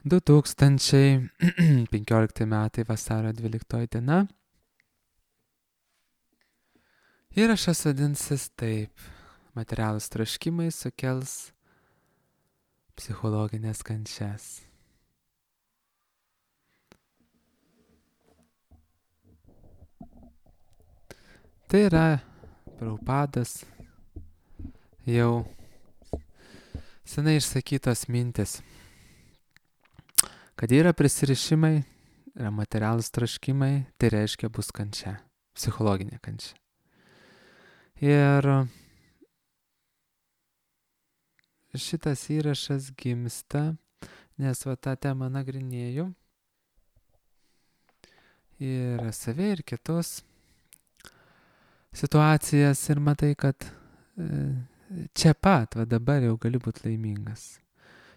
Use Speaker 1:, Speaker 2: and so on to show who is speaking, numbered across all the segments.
Speaker 1: 2015 metai vasario 12 diena. Įrašas vadinsis taip. Materialūs troškimai sukels psichologinės kančias. Tai yra Prabhupados jau senai išsakytos mintis, kad yra prisirišimai, yra materialūs troškimai, tai reiškia bus kančia, psichologinė kančia. Ir šitas įrašas gimsta, nes tą temą nagrinėju ir save ir kitus situacijas ir matai, kad čia pat, dabar jau gali būti laimingas.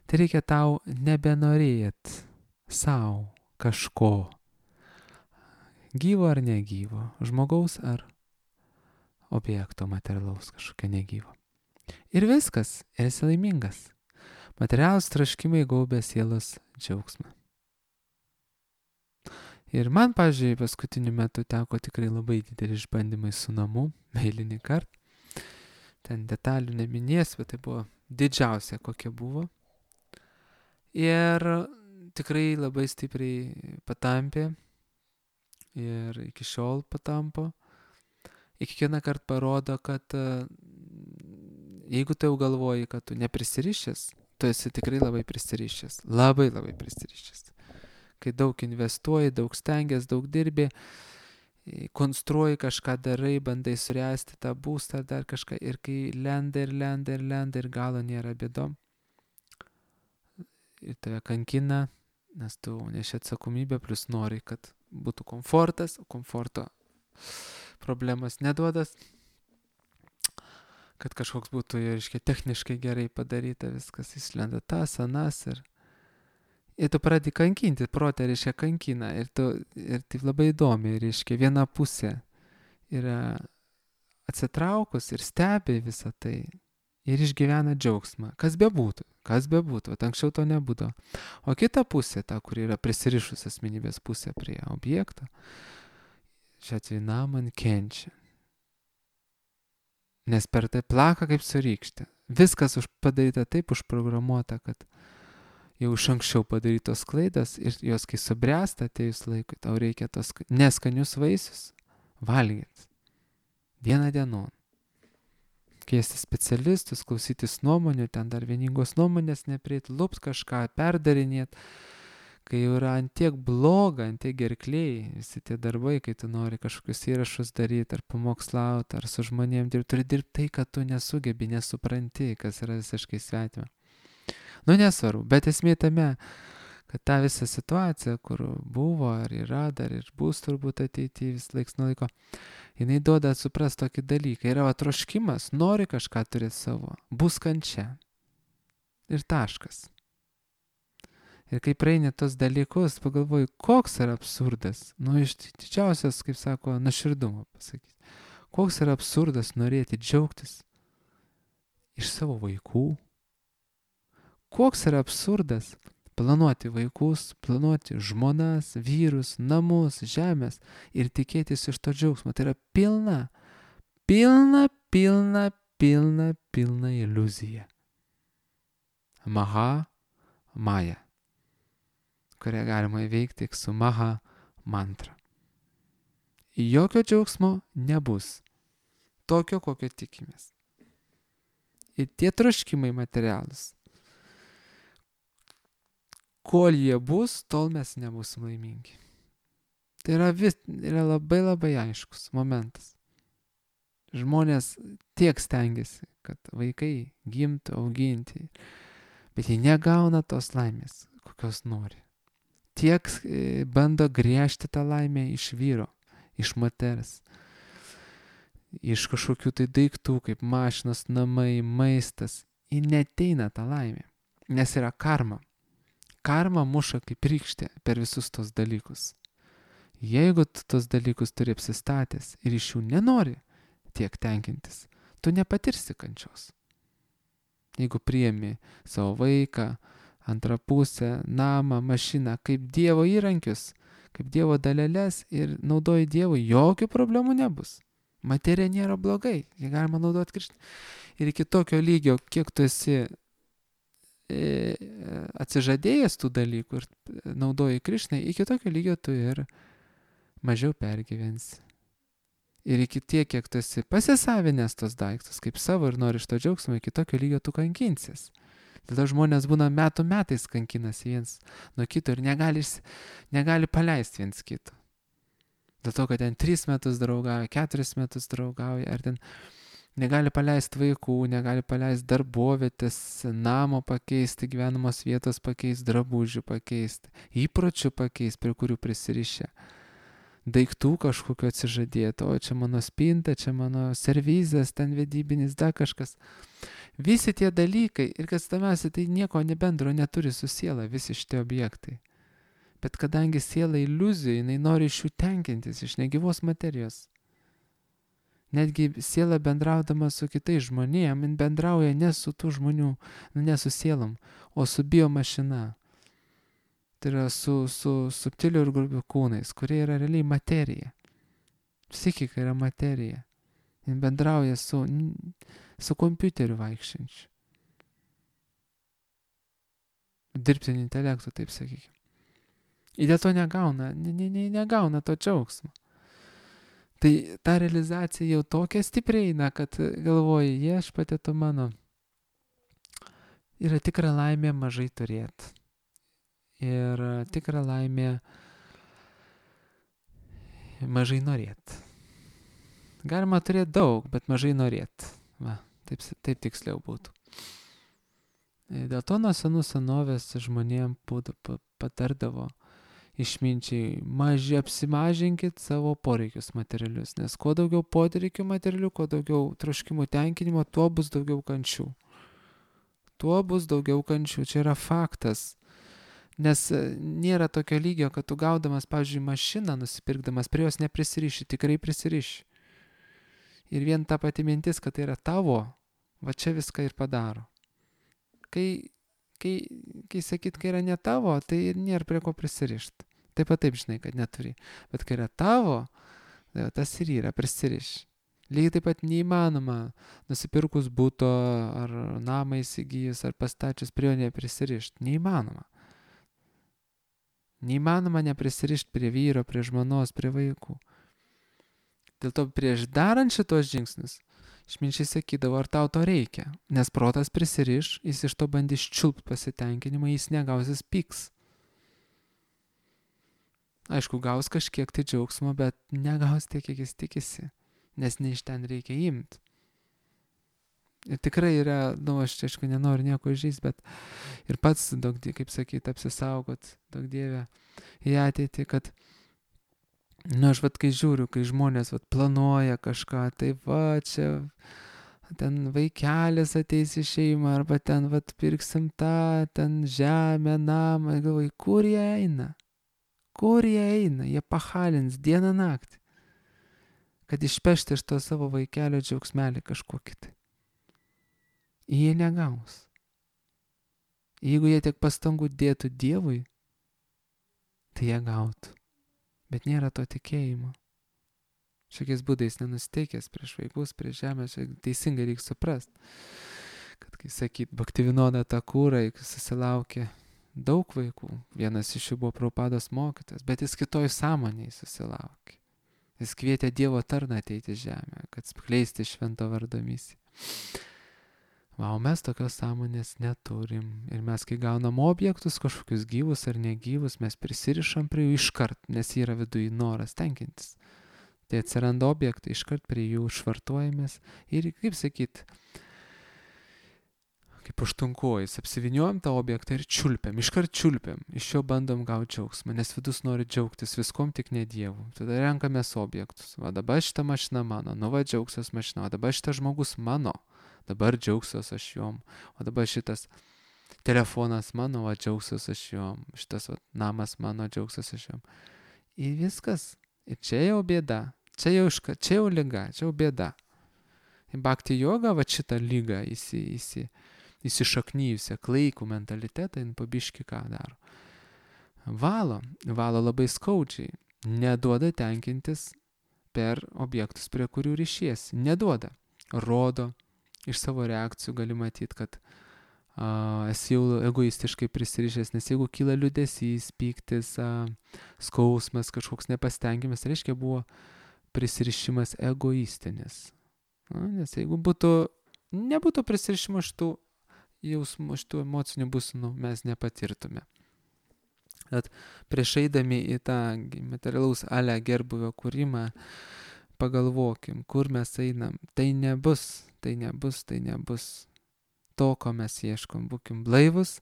Speaker 1: Tai reikia tau nebenorėt savo kažko, gyvo ar negyvo, žmogaus ar objekto materialaus kažkokio negyvo. Ir viskas, esi laimingas. Materialūs troškimai gaubia sielos džiaugsmą. Ir man, pavyzdžiui, paskutiniu metu teko tikrai labai dideli išbandymai su namu, eilinį kartą. Ten detalių neminėsiu, bet tai buvo didžiausia, kokia buvo. Ir tikrai labai stipriai patampė ir iki šiol patampo. Ir kiekvieną kartą parodo, kad jeigu tu jau galvoji, kad tu neprisirišęs, tu esi tikrai labai prisirišęs. Labai labai prisirišęs. Kai daug investuoji, daug stengiasi, daug dirbi, konstruoji kažką darai, bandai suręsti tą būstą ar dar kažką. Ir kai lenda ir galo nėra bėdom. Ir tave kankina, nes tu neši atsakomybę, plus nori, kad būtų komfortas, o komforto problemas neduodas, kad kažkoks būtų, reiškia, techniškai gerai padaryta viskas, įslenda tas, anas ir tu pradedi kankinti, protė, reiškia, kankina ir taip labai įdomi, reiškia, viena pusė yra atsitraukus ir stebi visą tai ir išgyvena džiaugsmą, kas bebūtų, anksčiau to nebūdavo. O kita pusė, ta, kuri yra prisirišus asmenybės pusė prie objekto, šią atveju man kenčia. Nes per tai plaka kaip su rykšte. Viskas padaryta taip, užprogramuota, kad jau iš anksčiau padarytos klaidos ir jos, kai subręsta atėjus laikui, tau reikia tos neskanius vaisius valgyti. Dieną dienon. Kviesti specialistus, klausytis nuomonių, ten dar vieningos nuomonės neprieiti, lupt kažką, perdarinėti. Kai jau yra antiek bloga, antiek gerkliai, visi tie darbai, kai tu nori kažkokius įrašus daryti, ar pamokslauti, ar su žmonėm dirbti, turi dirbti tai, kad tu nesugebi, nesupranti, kas yra visiškai svetima. Nesvarbu, bet esmė tame, kad ta visa situacija, kur buvo, ar yra, dar ir bus turbūt ateityje vis laiks nuo laiko, jinai duoda suprasti tokį dalyką. Yra troškimas, nori kažką turėti savo, bus kančia. Ir taškas. Ir kai praeini tos dalykus, pagalvoju, koks yra absurdas. Iš didžiausias, kaip sako, nuoširdumo pasakyti. Koks yra absurdas norėti džiaugtis iš savo vaikų. Koks yra absurdas planuoti vaikus, planuoti žmonas, vyrus, namus, žemės ir tikėtis iš to džiaugsmo. Tai yra pilna iliuzija. Maja, kurią galima įveikti tik su Maha mantra. Jokio džiaugsmo nebus. Tokio, kokio tikimės. Ir tie troškimai materialūs. Kol jie bus, tol mes nebūsim laimingi. Tai yra labai labai aiškus momentas. Žmonės tiek stengiasi, kad vaikai gimtų, auginti, bet jie negauna tos laimės, kokios nori. Tiek bando griežti tą laimę iš vyro, iš moters, iš kažkokių tai daiktų, kaip mašinos, namai, maistas. Ir neteina tą laimę, nes yra karma. Karma muša kaip rykštė per visus tos dalykus. Jeigu tu tos dalykus turi apsistatęs ir iš jų nenori tiek tenkintis, tu nepatirsi kančios. Jeigu priemi savo vaiką, antrą pusę, namą, mašiną, kaip Dievo įrankius, kaip Dievo daleles ir naudoji Dievui, jokių problemų nebus. Materija nėra blogai, jį galima naudoti Kristų. Ir iki tokio lygio, kiek tu esi atsižadėjęs tų dalykų ir naudoji Krišnai, iki tokio lygio tu ir mažiau pergyvensi. Ir iki tiek, kiek tu esi pasisavinęs tos daiktus kaip savo ir nori iš to džiaugsmo, iki tokio lygio tu kankinsies. Dėl to žmonės būna metų metais kankinasi viens nuo kito ir negali paleisti viens kito. Dėl to, kad ten 3 metus draugauja, 4 metus draugauja, ar ten negali paleisti vaikų, negali paleisti darbovietės, namo pakeisti, gyvenamos vietos pakeisti, drabužių pakeisti, įpročių pakeisti, prie kurių prisirišę. Daiktų kažkokio atsižadėti, o čia mano spinta, čia mano servizas, ten vedybinis, dar kažkas. Visi tie dalykai, ir kas tamiausia, tai nieko nebendro neturi su siela, visi šitie objektai. Bet kadangi siela iliuzija, jinai nori iš jų tenkintis, iš negyvos materijos. Netgi siela bendraudama su kitais žmonėm, jin bendrauja ne su tų žmonių, ne su sielom, o su biomašina. Tai yra su subtiliu ir grubiu kūnais, kurie yra realiai materija. Psichika yra materija. Jin bendrauja su kompiuteriu vaikščiančiu. Dirbtiniu intelektu, taip sakykime. Ir dėl to negauna to džiaugsmo. Tai ta realizacija jau tokia stipriai eina, kad galvoji, Viešpatie tu mano, yra tikra laimė mažai turėti. Ir tikra laimė mažai norėti. Galima turėti daug, bet mažai norėti. Va, taip tiksliau būtų. Dėl to nuo senų senovės žmonėm patardavo išminčiai, apsimažinkit savo poreikius materialius, nes kuo daugiau poreikių materialių, kuo daugiau troškimų tenkinimo, tuo bus daugiau kančių. Čia yra faktas. Nes nėra tokio lygio, kad tu gaudamas, pavyzdžiui, mašiną nusipirkdamas, prie jos neprisiriši, tikrai prisiriši. Ir vien ta pati mintis, kad tai yra tavo, va čia viską ir padaro. Kai sakyt, kai yra ne tavo, tai nėra prie ko prisirišti. Taip pat taip žinai, kad neturi. Bet kai yra tavo, tai tas ir yra prisiriši. Lygiai taip pat neįmanoma nusipirkus buto ar namą įsigijus ar pastačius prie jo neprisirišti. Neįmanoma neprisirišti prie vyro, prie žmonos, prie vaikų. Dėl to prieš darant šitos žingsnius, išminčiai sakydavo, ar tau to reikia, nes protas prisiriš, jis iš to bandys čiulpt pasitenkinimą, jis negaus, jis pyks. Aišku, gaus kažkiek tai džiaugsmo, bet negaus tiek, kiek jis tikisi, nes ne iš ten reikia imti. Ir tikrai yra, aš čia aišku nenoriu nieko žaisti, bet ir pats, kaip sakyti, apsisaugot, daug Dieve, į ateitį, kad aš kai žiūriu, kai žmonės planuoja kažką, tai čia ten vaikelis ateis į šeimą, arba ten pirksim tą, ten žemę, namą, galvoju, kur jie eina? Jie pahalins dieną naktį, kad išpešti iš to savo vaikelio džiaugsmelį kažkokį tai. Jie negaus. Jeigu jie tiek pastangų dėtų Dievui, tai jie gautų. Bet nėra to tikėjimo. Šiokiais būdais nenusteikęs prieš vaikus, prieš žemę, teisingai reikia suprasti. Kad, kai sakyt, Bhaktivinoda Thakurai susilaukė daug vaikų, vienas iš jų buvo Prabhupados mokytojas, bet jis kitoj sąmonėje susilaukė. Jis kvietė Dievo tarną ateiti į žemę, kad skleisti švento vardo misiją. O mes tokios sąmonės neturim. Ir mes, kai gaunam objektus, kažkokius gyvus ar negyvus, mes prisirišam prie jų iškart, nes yra viduje noras tenkintis. Tai atsiranda objektai, iškart prie jų švartuojamės ir, kaip sakyt, kaip užtunkojus, apsiviniuojam tą objektą ir čiulpiam, iškart čiulpiam, iš jo bandom gauti džiaugsmą, nes vidus nori džiaugtis viskom, tik ne Dievu. Tada renkamės objektus. Va dabar šita mašina mano, džiaugsiuos mašina, o dabar šitas žmogus mano. Dabar džiaugsiuos aš jom, o dabar šitas telefonas mano, džiaugsiuos aš jom, šitas namas mano, džiaugsiuos aš jom. Ir viskas. Ir čia jau bėda, čia jau liga, čia jau bėda. Bhakti joga šitą lygą įsišaknyjusią klaikų mentalitetą, jin pabiški ką daro. Valo labai skaudžiai, neduoda tenkintis per objektus, prie kurių ryšiesi, neduoda. Rodo, iš savo reakcijų gali matyti, kad esi jau egoistiškai prisirišęs, nes jeigu kyla liūdesys, pyktis, skausmas, kažkoks nepastengimas, reiškia buvo prisirišimas egoistinis. Nes jeigu nebūtų prisirišimo šitų jausmų, šitų emocinių būsenų, mes nepatirtume. At prieš eidami į tą materialaus gerbuvio kūrimą, pagalvokim, kur mes einam. Tai nebus to, ko mes ieškom. Būkim blaivus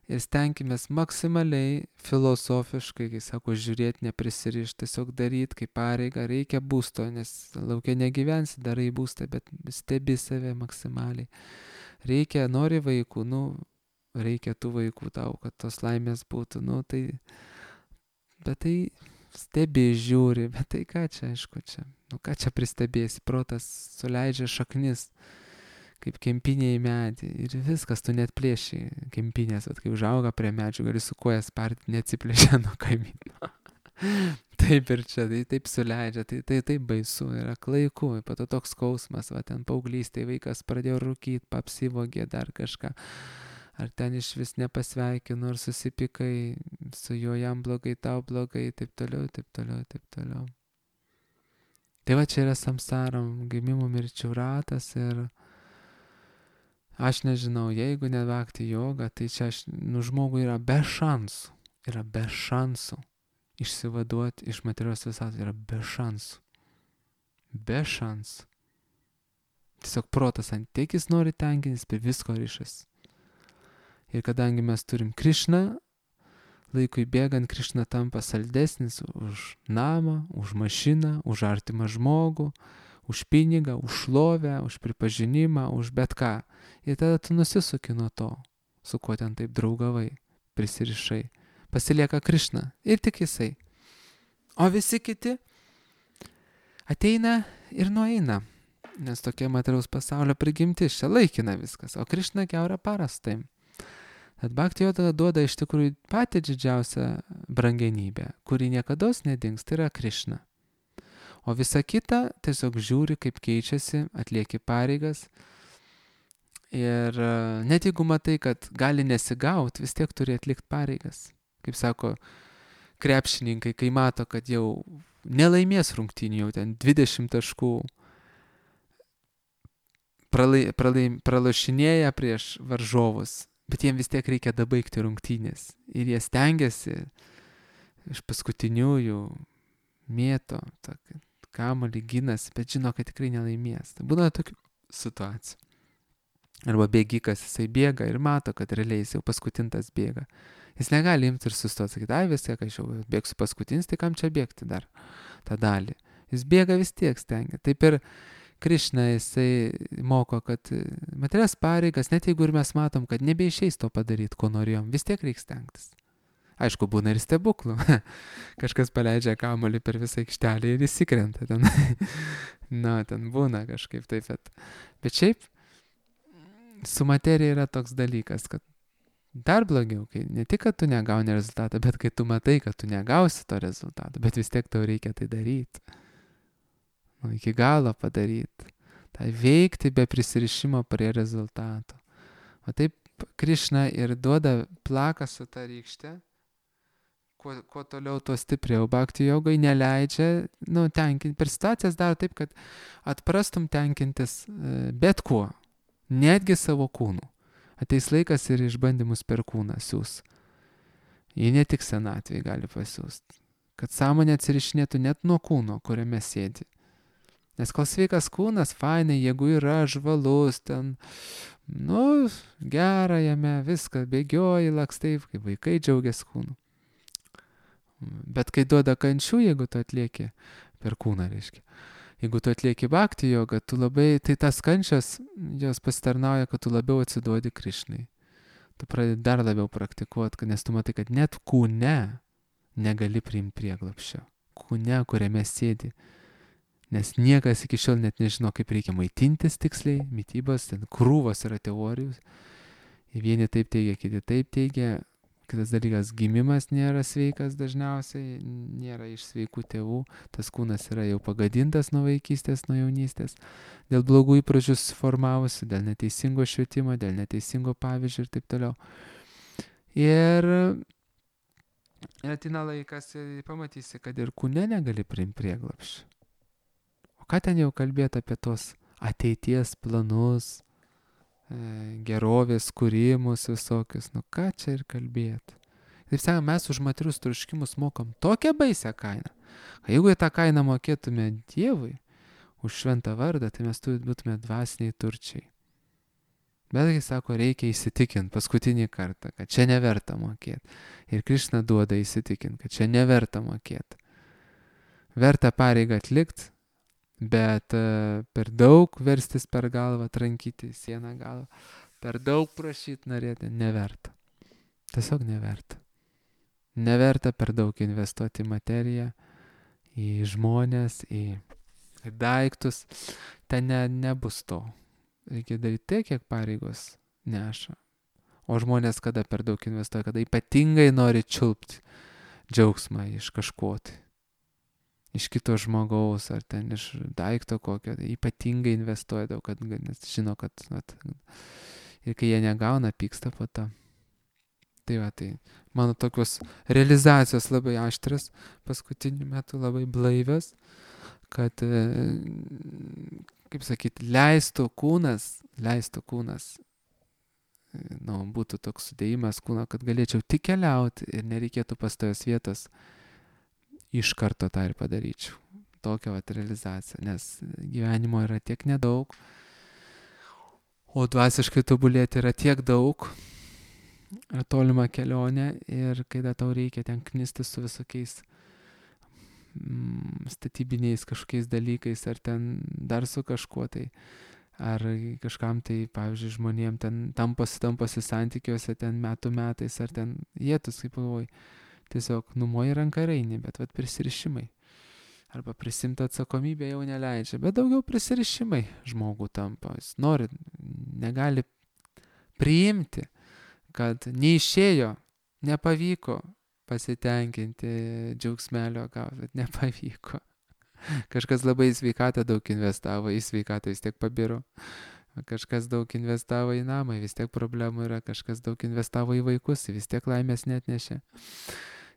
Speaker 1: ir stenkimės maksimaliai filosofiškai, kai sako, žiūrėti, neprisirišti, tiesiog daryti kaip pareigą. Reikia būsto, nes laukia negyvensi, darai būstą, bet stebi save maksimaliai. Nori vaikų, reikia tų vaikų tau, kad tos laimės būtų, bet tai stebi, žiūri, bet tai ką čia, aišku, ką čia pristebėsi, protas suleidžia šaknis, kaip kempinė į medį ir viskas, tu net plėši kempinės, kai užauga prie medžių, gali su koja sparti, neatsiplėšia nuo kaimyno. Taip ir čia, tai taip suleidžia, tai taip baisu, yra klaiku, po to toks skausmas, ten paauglystėje vaikas pradėjo rūkyti, apsivogė dar kažką. Ar ten iš vis nepasveikinu, ar susipykai su juo, jam blogai, tau blogai, taip toliau. Tai va čia yra samsaram, gimimų mirčių ratas ir aš nežinau, jeigu ne bhakti joga, tai čia žmogui yra be šansų išsivaduoti iš materialios visatos, yra be šansų. Tiesiog protas ant tiek jis nori tenkintis, prie visko ryšas. Ir kadangi mes turim Krišną, laikui bėgant Krišna tampa saldesnis už namą, už mašiną, už artimą žmogų, už pinigą, už šlovę, už pripažinimą, už bet ką. Ir tada tu nusisuki nuo to, su kuo ten taip draugavai, prisirišai. Pasilieka Krišna ir tik jisai. O visi kiti ateina ir nueina, nes tokia materiaus pasaulio prigimtis, čia laikina viskas, o Krišna kiaurą parą su tavim. Tad bhakti joga duoda iš tikrųjų patį didžiausią brangenybę, kuri niekados nedings, tai yra Krišna. O visa kita tiesiog žiūri, kaip keičiasi, atlieki pareigas. Ir net jeigu matai, kad gali nesigauti, vis tiek turi atlikti pareigas. Kaip sako krepšininkai, kai mato, kad jau nelaimės rungtynių, jau ten 20 taškų pralošinėja prieš varžovus. Bet jiems vis tiek reikia dabaigti rungtynės. Ir jie stengiasi iš paskutiniųjų mėto, kamuolį ginasi, bet žino, kad tikrai nelaimės. Tai būna tokių situacijų. Arba bėgikas, jisai bėga ir mato, kad realiai jis jau paskutintas bėga. Jis negali imti ir sustoti, sakyti, vis tiek aš jau bėgsiu paskutinis, tai kam čia bėgti dar tą dalį. Jis bėga vis tiek stengia. Taip ir Krišna, jisai moko, kad materialias pareigas, net jeigu ir mes matom, kad nebeišeis to padaryti, ko norėjom, vis tiek reikia stengtis. Aišku, būna ir stebuklų. Kažkas paleidžia kamuolį per visą aikštelę ir įsikrenta ten. Ten būna kažkaip taip. Bet šiaip, su materija yra toks dalykas, kad dar blogiau, kai ne tik, kad tu negauni rezultatą, bet kai tu matai, kad tu negausi to rezultato, bet vis tiek tau reikia tai daryti. Iki galo padaryti. Tai veikti be prisirišimo prie rezultato. O taip Krišna ir duoda plaką su ta rykšte. Kuo toliau, tuo stipriau. Bhakti jogai neleidžia tenkinti. Per situacijas daro taip, kad atprastum tenkintis bet kuo. Netgi savo kūnu. Ateis laikas ir išbandymus per kūną siūs. Jie ne tik senatvėje gali pasiūsti. Kad sąmonė atsirišinėtų net nuo kūno, kuriame sėdi. Nes kol sveikas kūnas, fainai, jeigu yra žvalus, ten, gera jame, viską, bėgioji, lakstai, kaip vaikai džiaugiasi kūnu. Bet kai duoda kančių, jeigu tu atlieki, per kūną reiškia, jeigu tu atlieki bhakti jogą, tu labai, tai tas kančias, jos pasitarnauja, kad tu labiau atsiduodi Krišnai. Tu pradedi dar labiau praktikuoti, nes tu matai, kad net kūne negali priimti prieglapščio. Kūne, kuriame sėdi. Nes niekas iki šiol net nežino, kaip reikia maitintis tiksliai, mitybos, ten krūvos yra teorijos. Vieni taip teigia, kiti taip teigia. Kitas dalykas, gimimas nėra sveikas dažniausiai, nėra iš sveikų tėvų, tas kūnas yra jau pagadintas nuo vaikystės, nuo jaunystės, dėl blogų įpročių susiformavusių, dėl neteisingo švietimo, dėl neteisingo pavyzdžio ir taip toliau. Ir ateina laikas ir pamatysi, kad ir kūne negali priimti prieglapščio. O ką ten jau kalbėti apie tos ateities planus, gerovės kūrimus visokius, nu ką čia ir kalbėti. Taip sakant, mes už materius troškimus mokam tokią baisią kainą. Jeigu į tą kainą mokėtume Dievui už šventą vardą, tai mes būtume dvasiniai turčiai. Bet jis sako, reikia įsitikinti paskutinį kartą, kad čia neverta mokėti. Ir Krišna duoda įsitikinti, kad čia neverta mokėti. Verta pareigą atlikti, bet per daug verstis per galvą, trankyti sieną galvą, per daug prašyti norėti, neverta. Tiesiog neverta. Neverta per daug investuoti į materiją, į žmonės, į daiktus. Ten nebus to. Reikia daryti tiek, kiek pareigos neša. O žmonės kada per daug investuoja, kada ypatingai nori čiulpti džiaugsmą iš kažko tai. Iš kito žmogaus ar ten iš daikto kokio, tai ypatingai investuoja daug, nes žino, kad ir kai jie negauna, pyksta po to. Tai va, tai mano tokios realizacijos labai aštras, paskutiniu metu labai blaivios, kad, kaip sakyti, leistų kūnas, būtų toks sudėjimas kūno, kad galėčiau tik keliauti ir nereikėtų pastojos vietos. Iš karto tą ir padaryčiau. Tokią realizaciją, nes gyvenimo yra tiek nedaug, o dvasiškai tobulėti yra tiek daug, yra tolima kelionė ir kai tau reikia ten knistis su visokiais statybiniais kažkokiais dalykais ar ten dar su kažkuo tai, ar kažkam tai, pavyzdžiui, žmonėm ten tamposi santykiuose ten metais, ar ten jėtus, kaip galvoji. Tiesiog numoji ranką ir eini, bet prisirišimai. Arba prisimti atsakomybę jau neleidžia, bet daugiau prisirišimai žmogų tampa. Jis nori, negali priimti, kad neišėjo, nepavyko pasitenkinti džiaugsmelio gauti, bet nepavyko. Kažkas labai į sveikatą daug investavo, į sveikatą vis tiek pabiro. Kažkas daug investavo į namą, vis tiek problemų yra, kažkas daug investavo į vaikus, vis tiek laimės neatnešė.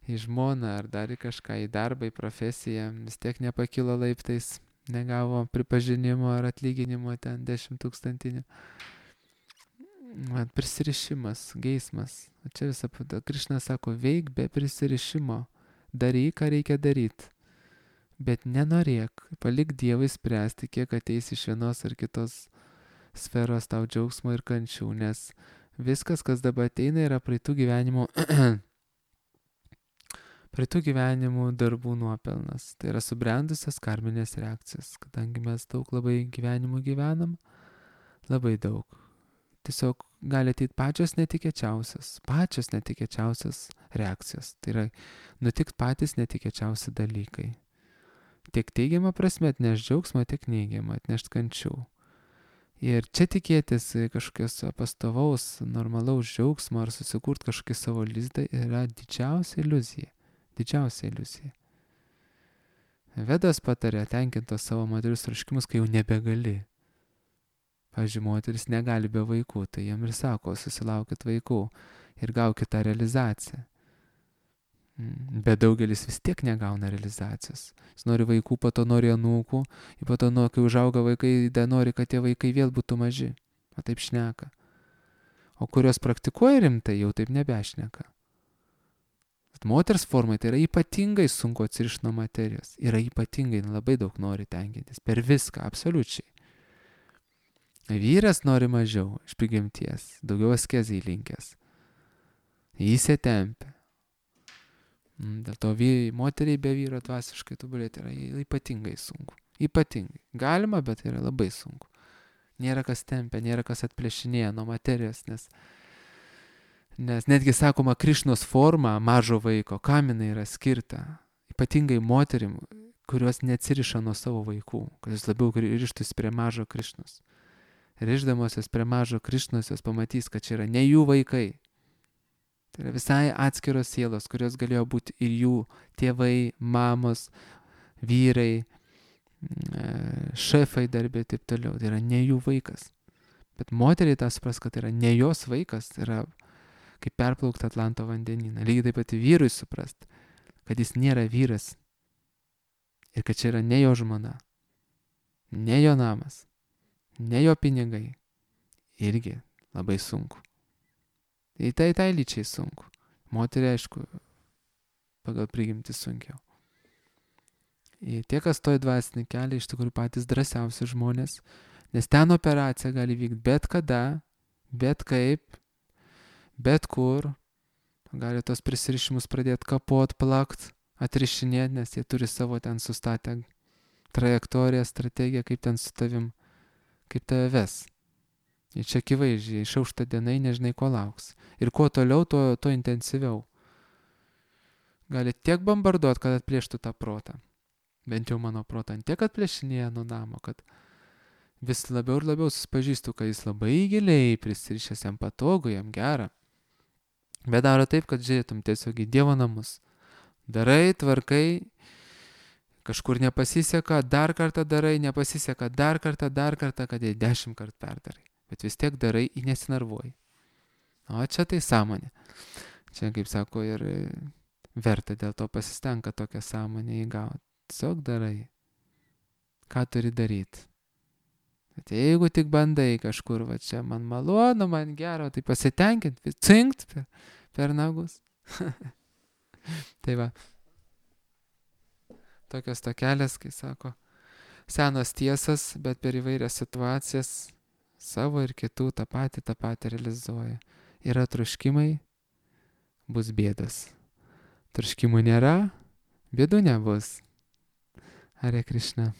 Speaker 1: Į žmoną ar dar į kažką, į darbą, į profesiją, vis tiek nepakilo laiptais, negavo pripažinimo ar atlyginimo ten 10 000. Prisirišimas, geismas. Čia visą pada. Krišna sako, veik be prisirišimo, daryk, ką reikia daryti. Bet nenorėk, palik Dievui spręsti, kiek ateis iš vienos ar kitos sferos tau džiaugsmo ir kančių, nes viskas, kas dabar ateina, yra praeitų gyvenimų darbų nuopelnas. Tai yra subrendusios karminės reakcijos, kadangi mes daug labai gyvenimų gyvenam, labai daug. Tiesiog gali ateiti pačios netikėčiausios reakcijos. Tai yra nutikti patys netikėčiausi dalykai. Tiek teigiamą prasme atneš džiaugsmą, tiek neigiamą atneš kančių. Ir čia tikėtis kažkokios pastovaus, normalaus džiaugsmo ar susikurti kažkokį savo lizdą yra didžiausia iliuzija. Vedas patarė tenkinti savo materialius troškimus, kai jau nebegali. Pavyzdžiui, moteris negali be vaikų, tai jam ir sako, susilaukit vaikų ir gaukit tą realizaciją. Bet daugelis vis tiek negauna realizacijos. Jis nori vaikų, po to nori anūkų, ir po to, kai užauga vaikai, nori, kad tie vaikai vėl būtų maži. O taip šneka. O kurios praktikuoja rimtai, jau taip nebešneka. Moters formai tai yra ypatingai sunku atsirišti nuo materijos. Yra ypatingai, labai daug nori tenkintis. Per viską, absoliučiai. Vyras nori mažiau iš prigimties, daugiau askezijai linkęs. Įsitempia. Dėl to moteriai be vyro dvasiškai tobulėti yra ypatingai sunku. Ypatingai. Galima, bet yra labai sunku. Nėra kas tempia, nėra kas atplėšinėja nuo materijos, nes netgi sakoma, Krišnos forma mažo vaiko, kam jinai yra skirta. Ypatingai moterim, kurios neatsiriša nuo savo vaikų, kurios labiau rištųsi prie mažo Krišnos. rišdamosios prie mažo Krišnos, jos pamatys, kad čia yra ne jų vaikai. Tai yra visai atskiros sielos, kurios galėjo būti ir jų tėvai, mamos, vyrai, šefai darbė ir taip toliau. Tai yra ne jų vaikas. Bet moteriai tą supras, kad tai yra ne jos vaikas, tai yra kaip perplaukti Atlanto vandenyną. Lygiai taip pat vyrui suprast, kad jis nėra vyras ir kad čia yra ne jo žmona, ne jo namas, ne jo pinigai. Irgi labai sunku. Tai lyčiai sunku. Moteriai, aišku, pagal prigimtį sunkiau. Ir tie, kas stoja dvasinį kelią, iš tikrųjų patys drąsiausi žmonės, nes ten operacija gali vykti bet kada, bet kaip, bet kur. Gali tos prisirišimus pradėti kapot, plakt, atrišinėti, nes jie turi savo ten sustatę trajektoriją, strategiją, kaip ten su tavim, kaip tave ves. Ir čia akivaizdžiai, išaušta dienai, nežinai, ko lauks. Ir kuo toliau, tuo intensyviau. Gali tiek bombarduoti, kad atplėštų tą protą. Bent jau mano protą tiek atplėšinėja nuo namo, kad vis labiau ir labiau susipažįstu, kad jis labai giliai prisirišęs, jam patogu, jam gera. Bet daro taip, kad žiūrėtum tiesiog į Dievo namus. Darai, tvarkai, kažkur nepasiseka, dar kartą darai, nepasiseka, dar kartą, kad jai 10 kartų perdarai. Bet vis tiek darai, į nesinarvuoji. O čia tai sąmonė. Čia, kaip sako, ir verta dėl to pasistenka tokią sąmonę įgauti. Tiesiog darai. Ką turi daryti. Bet jeigu tik bandai kažkur, va čia man malonu, man gero, tai pasitenkint, cinkt per nagus. Tai va. Tokios tokelės, kai sako, senos tiesas, bet per įvairias situacijas savo ir kitų tą patį realizuoja. Yra troškimai, bus bėdos. Troškimų nėra, bėdų nebus. Hare Krishna.